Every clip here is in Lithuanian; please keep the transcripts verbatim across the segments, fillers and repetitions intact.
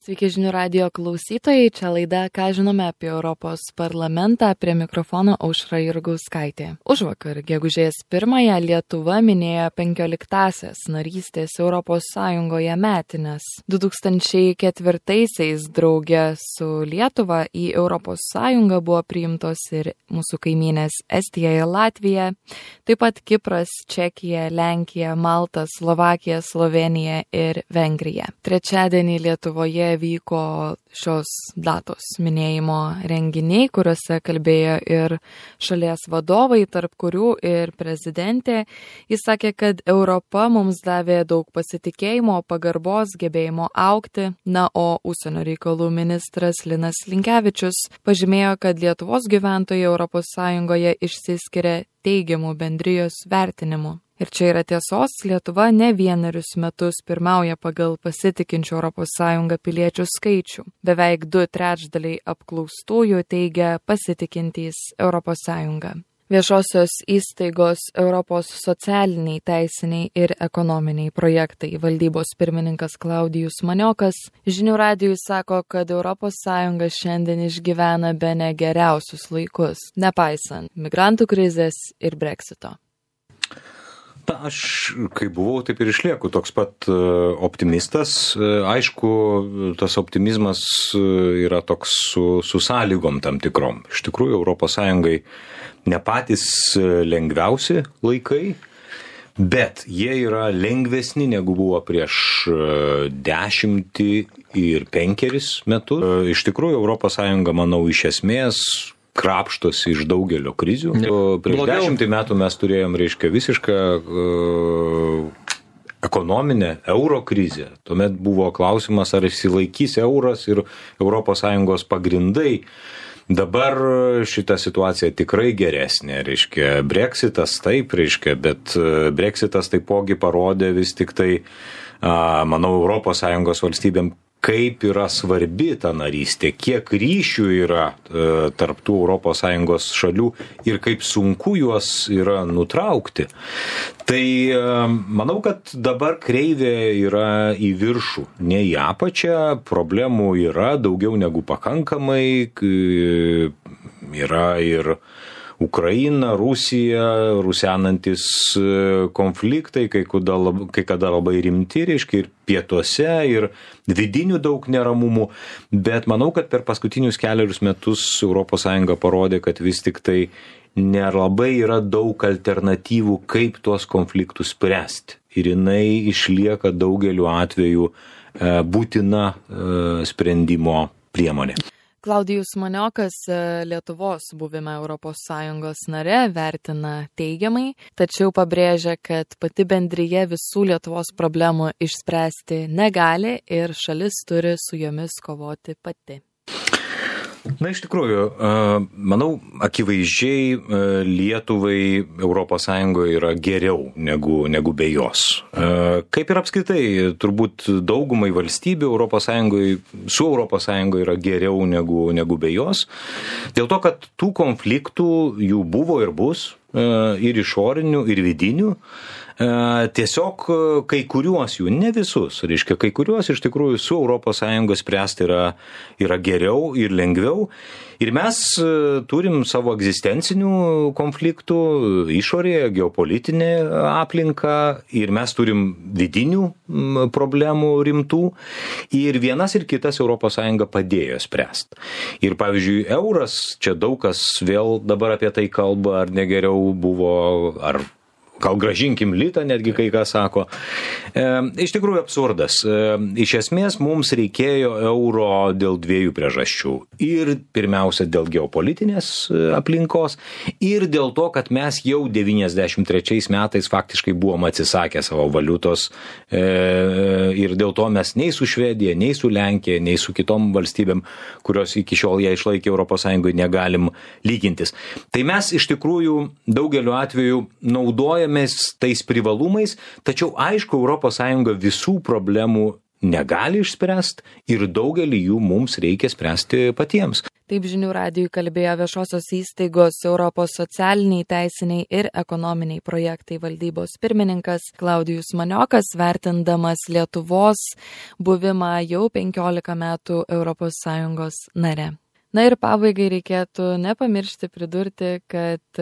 Sveiki žinių radijo klausytojai, čia laida Ką žinome apie Europos parlamentą, prie mikrofono Aušra Jurgauskaitė. Užvakar, gegužės pirmąją, Lietuva minėjo penkioliktąsias narystės Europos Sąjungoje metines. du tūkstančiai ketvirtaisiais drauge su Lietuva į Europos Sąjungą buvo priimtos ir mūsų kaimynės Estija ir Latvija, taip pat Kipras, Čekija, Lenkija, Malta, Slovakija, Slovėnija ir Vengrija. Trečiadienį Lietuvoje vyko šios datos minėjimo renginiai, kuriuose kalbėjo ir šalies vadovai, tarp kurių ir prezidentė. Jis sakė, kad Europa mums davė daug pasitikėjimo, pagarbos, gebėjimo augti. Na, o užsienio reikalų ministras Linas Linkevičius pažymėjo, kad Lietuvos gyventojai Europos Sąjungoje išsiskiria teigiamų bendrijos vertinimu. Ir čia yra tiesos, Lietuva ne vienerius metus pirmauja pagal pasitikinčių Europos Sąjungą piliečių skaičių. Beveik du trečdaliai apklaustųjų teigia pasitikintys Europos Sąjungą. Viešosios įstaigos Europos socialiniai, teisiniai ir ekonominiai projektai valdybos pirmininkas Klaudijus Maniokas žinių radijui sako, kad Europos Sąjunga šiandien išgyvena bene geriausius laikus, nepaisant migrantų krizės ir Brexito. Na, aš, kai buvau, taip ir išlieku toks pat optimistas. Aišku, tas optimizmas yra toks su, su sąlygom tam tikrom. Iš tikrųjų, Europos Sąjungai ne patys lengviausi laikai, bet jie yra lengvesni negu buvo prieš dešimtį ir penkeris metus. Iš tikrųjų, Europos Sąjunga, manau, iš esmės krapštosi iš daugelio krizių. Prieš dešimtį metų mes turėjom, reiškia, visišką uh, ekonominę euro krizę. Tuomet buvo klausimas, ar išsilaikys euras ir Europos Sąjungos pagrindai. Dabar šita situacija tikrai geresnė, reiškia, Brexitas taip, reiškia, bet Brexitas taipogi parodė vis tik tai, uh, manau, Europos Sąjungos valstybėm, kaip yra svarbi ta narystė, kiek ryšių yra e, tarp tų Europos Sąjungos šalių ir kaip sunku juos yra nutraukti. Tai e, manau, kad dabar kreivė yra į viršų, ne į apačią, problemų yra daugiau negu pakankamai, yra ir Ukraina, Rusija, rusenantis konfliktai, kai kada, kai kada labai rimti, reiškia, ir pietuose, ir vidinių daug neramumų, bet manau, kad per paskutinius keliarius metus Europos Sąjunga parodė, kad vis tik tai nelabai yra daug alternatyvų, kaip tuos konfliktus spręsti. Ir jinai išlieka daugeliu atveju būtina sprendimo priemonė. Klaudijus Maniokas Lietuvos buvimą Europos Sąjungos nare vertina teigiamai, tačiau pabrėžia, kad pati bendrija visų Lietuvos problemų išspręsti negali ir šalis turi su jomis kovoti pati. Na, iš tikrųjų, manau, akivaizdžiai Lietuvai Europos Sąjungoje yra geriau negu, negu be jos. Kaip ir apskritai, turbūt daugumai valstybių Europos Sąjungoje, su Europos Sąjungoje yra geriau negu, negu be jos. Dėl to, kad tų konfliktų jų buvo ir bus, ir išorinių, ir vidinių. Tiesiog kai kuriuos jų, ne visus, reiškia, kai kuriuos iš tikrųjų su Europos Sąjunga spręsti yra, yra geriau ir lengviau. Ir mes turim savo egzistencinių konfliktų išorėje, geopolitinė aplinka, ir mes turim vidinių problemų rimtų. Ir vienas ir kitas Europos Sąjunga padėjo spręsti. Ir pavyzdžiui, euras, čia daug kas vėl dabar apie tai kalba, ar negeriau buvo, ar gal gražinkim litą, netgi kai ką sako. E, iš tikrųjų absurdas. E, iš esmės mums reikėjo euro dėl dviejų priežasčių. Ir pirmiausia dėl geopolitinės aplinkos, ir dėl to, kad mes jau devyniasdešimt trečiais metais faktiškai buvom atsisakę savo valiutos, e, ir dėl to mes nei su Švedija, nei su Lenkija, nei su kitom valstybėm, kurios iki šiol ją išlaikė Europos Sąjungoje, negalim lygintis. Tai mes iš tikrųjų daugeliu atveju naudojame tais privalumais, tačiau aišku, Europos Sąjunga visų problemų negali išspręsti ir daugelį jų mums reikia spręsti patiems. Taip žinių radijui kalbėjo viešosios įstaigos Europos socialiniai, teisiniai ir ekonominiai projektai valdybos pirmininkas Klaudijus Maniokas, vertindamas Lietuvos buvimą jau penkiolika metų Europos Sąjungos nare. Na ir pabaigai reikėtų nepamiršti pridurti, kad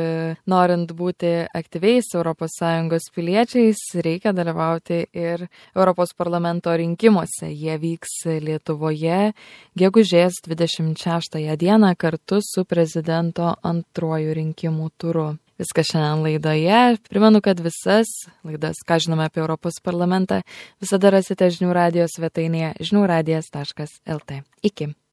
norint būti aktyviais Europos Sąjungos piliečiais, reikia dalyvauti ir Europos parlamento rinkimuose. Jie vyks Lietuvoje gegužės dvidešimt šeštąją dieną kartu su prezidento antruoju rinkimų turu. Viskas šiandien laidoje. Primenu, kad visas laidas, ką žinome apie Europos parlamentą, visada rasite žinių radijo svetainėje žinių radijas taškas el tė. Iki.